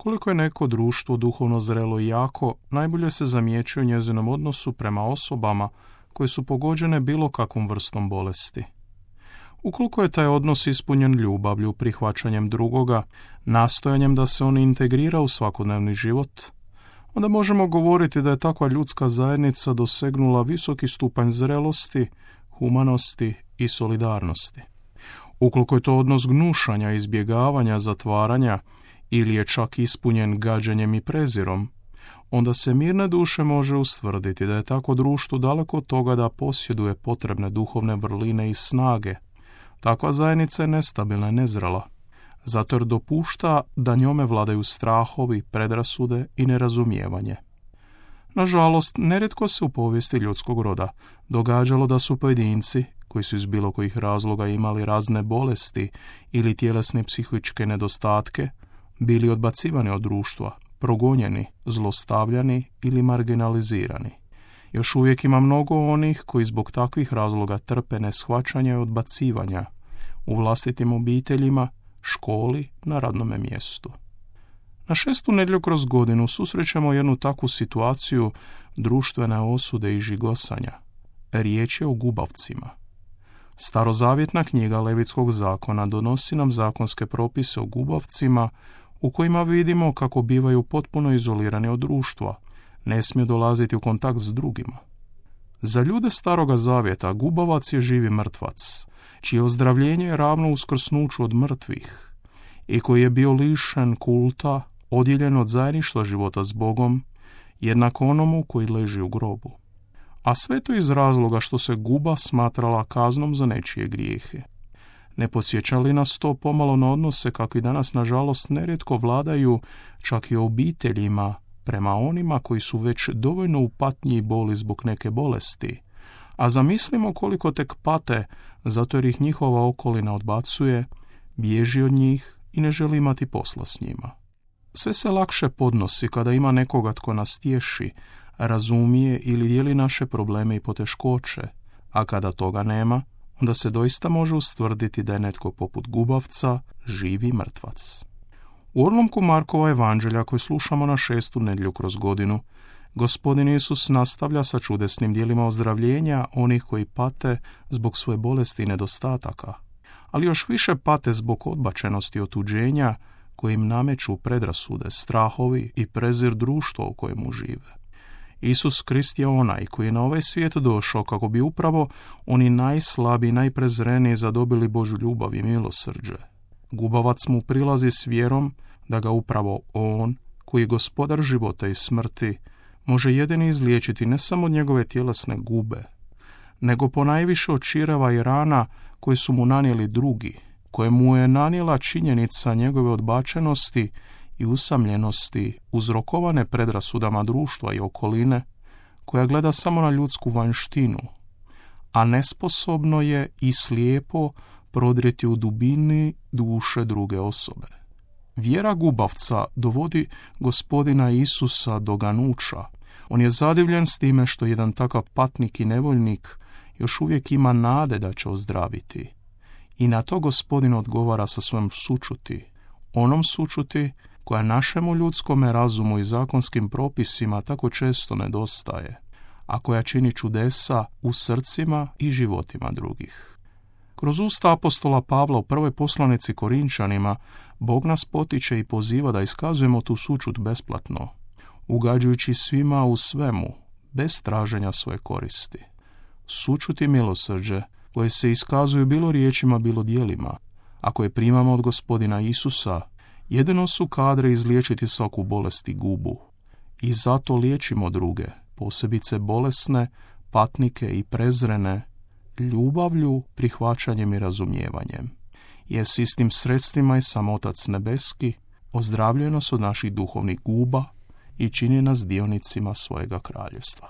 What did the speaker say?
Koliko je neko društvo duhovno zrelo i jako, najbolje se zamjećuje u njezinom odnosu prema osobama koje su pogođene bilo kakvom vrstom bolesti. Ukoliko je taj odnos ispunjen ljubavlju, prihvaćanjem drugoga, nastojanjem da se on integrira u svakodnevni život, onda možemo govoriti da je takva ljudska zajednica dosegnula visoki stupanj zrelosti, humanosti i solidarnosti. Ukoliko je to odnos gnušanja, izbjegavanja, zatvaranja ili je čak ispunjen gađanjem i prezirom, onda se mirne duše može ustvrditi da je takvo društvo daleko od toga da posjeduje potrebne duhovne vrline i snage. Takva zajednica je nestabilna i nezrela, zato jer dopušta da njome vladaju strahovi, predrasude i nerazumijevanje. Nažalost, nerijetko se u povijesti ljudskog roda događalo da su pojedinci, koji su iz bilo kojih razloga imali razne bolesti ili tjelesne psihičke nedostatke, bili odbacivani od društva, progonjeni, zlostavljani ili marginalizirani. Još uvijek ima mnogo onih koji zbog takvih razloga trpe neshvaćanja i odbacivanja u vlastitim obiteljima, školi, na radnome mjestu. Na 6. nedjelju kroz godinu susrećemo jednu takvu situaciju društvene osude i žigosanja. Riječ je o gubavcima. Starozavjetna knjiga Levitskog zakona donosi nam zakonske propise o gubavcima u kojima vidimo kako bivaju potpuno izolirani od društva, ne smiju dolaziti u kontakt s drugima. Za ljude Staroga zavjeta gubavac je živi mrtvac, čije ozdravljenje je ravno uskrsnuću od mrtvih i koji je bio lišen kulta, odjeljen od zajedništva života s Bogom, jednako onomu koji leži u grobu. A sve to iz razloga što se guba smatrala kaznom za nečije grijehe. Ne podsjeća li nas to pomalo na odnose kakvi danas nažalost nerijetko vladaju čak i obiteljima prema onima koji su već dovoljno u patnji i boli zbog neke bolesti, a zamislimo koliko tek pate zato jer ih njihova okolina odbacuje, bježi od njih i ne želi imati posla s njima. Sve se lakše podnosi kada ima nekoga tko nas tješi, razumije ili dijeli naše probleme i poteškoće, a kada toga nema, onda se doista može ustvrditi da je netko poput gubavca živi mrtvac. U odlomku Markova evanđelja koje slušamo na 6. nedjelju kroz godinu, Gospodin Isus nastavlja sa čudesnim djelima ozdravljenja onih koji pate zbog svoje bolesti i nedostataka, ali još više pate zbog odbačenosti i otuđenja koji im nameću predrasude, strahovi i prezir društva u kojemu žive. Isus Krist je onaj koji je na ovaj svijet došao kako bi upravo oni najslabiji, najprezreniji zadobili Božju ljubav i milosrđe. Gubavac mu prilazi s vjerom da ga upravo on, koji je gospodar života i smrti, može jedini izliječiti ne samo od njegove tjelesne gube, nego ponajviše od čireva i rana koje su mu nanijeli drugi, koje mu je nanijela činjenica njegove odbačenosti i usamljenosti uzrokovane predrasudama društva i okoline, koja gleda samo na ljudsku vanjštinu, a nesposobno je i slijepo prodrijeti u dubini duše druge osobe. Vjera gubavca dovodi Gospodina Isusa do ganuća. On je zadivljen s time što jedan takav patnik i nevoljnik još uvijek ima nade da će ozdraviti. I na to Gospodin odgovara sa svojom sućuti, onom sućuti koja našemu ljudskome razumu i zakonskim propisima tako često nedostaje, a koja čini čudesa u srcima i životima drugih. Kroz usta apostola Pavla u prvoj poslanici Korinčanima Bog nas potiče i poziva da iskazujemo tu sućut besplatno, ugađujući svima u svemu, bez traženja svoje koristi. Sućut i milosrđe koje se iskazuju bilo riječima, bilo djelima, a koje primamo od Gospodina Isusa, jedino su kadre izliječiti svaku bolest i gubu. I zato liječimo druge, posebice bolesne, patnike i prezrene, ljubavlju, prihvaćanjem i razumijevanjem. Jer s istim sredstvima i sam Otac nebeski ozdravljuje nas od naših duhovnih guba i čini nas dionicima svojega kraljevstva.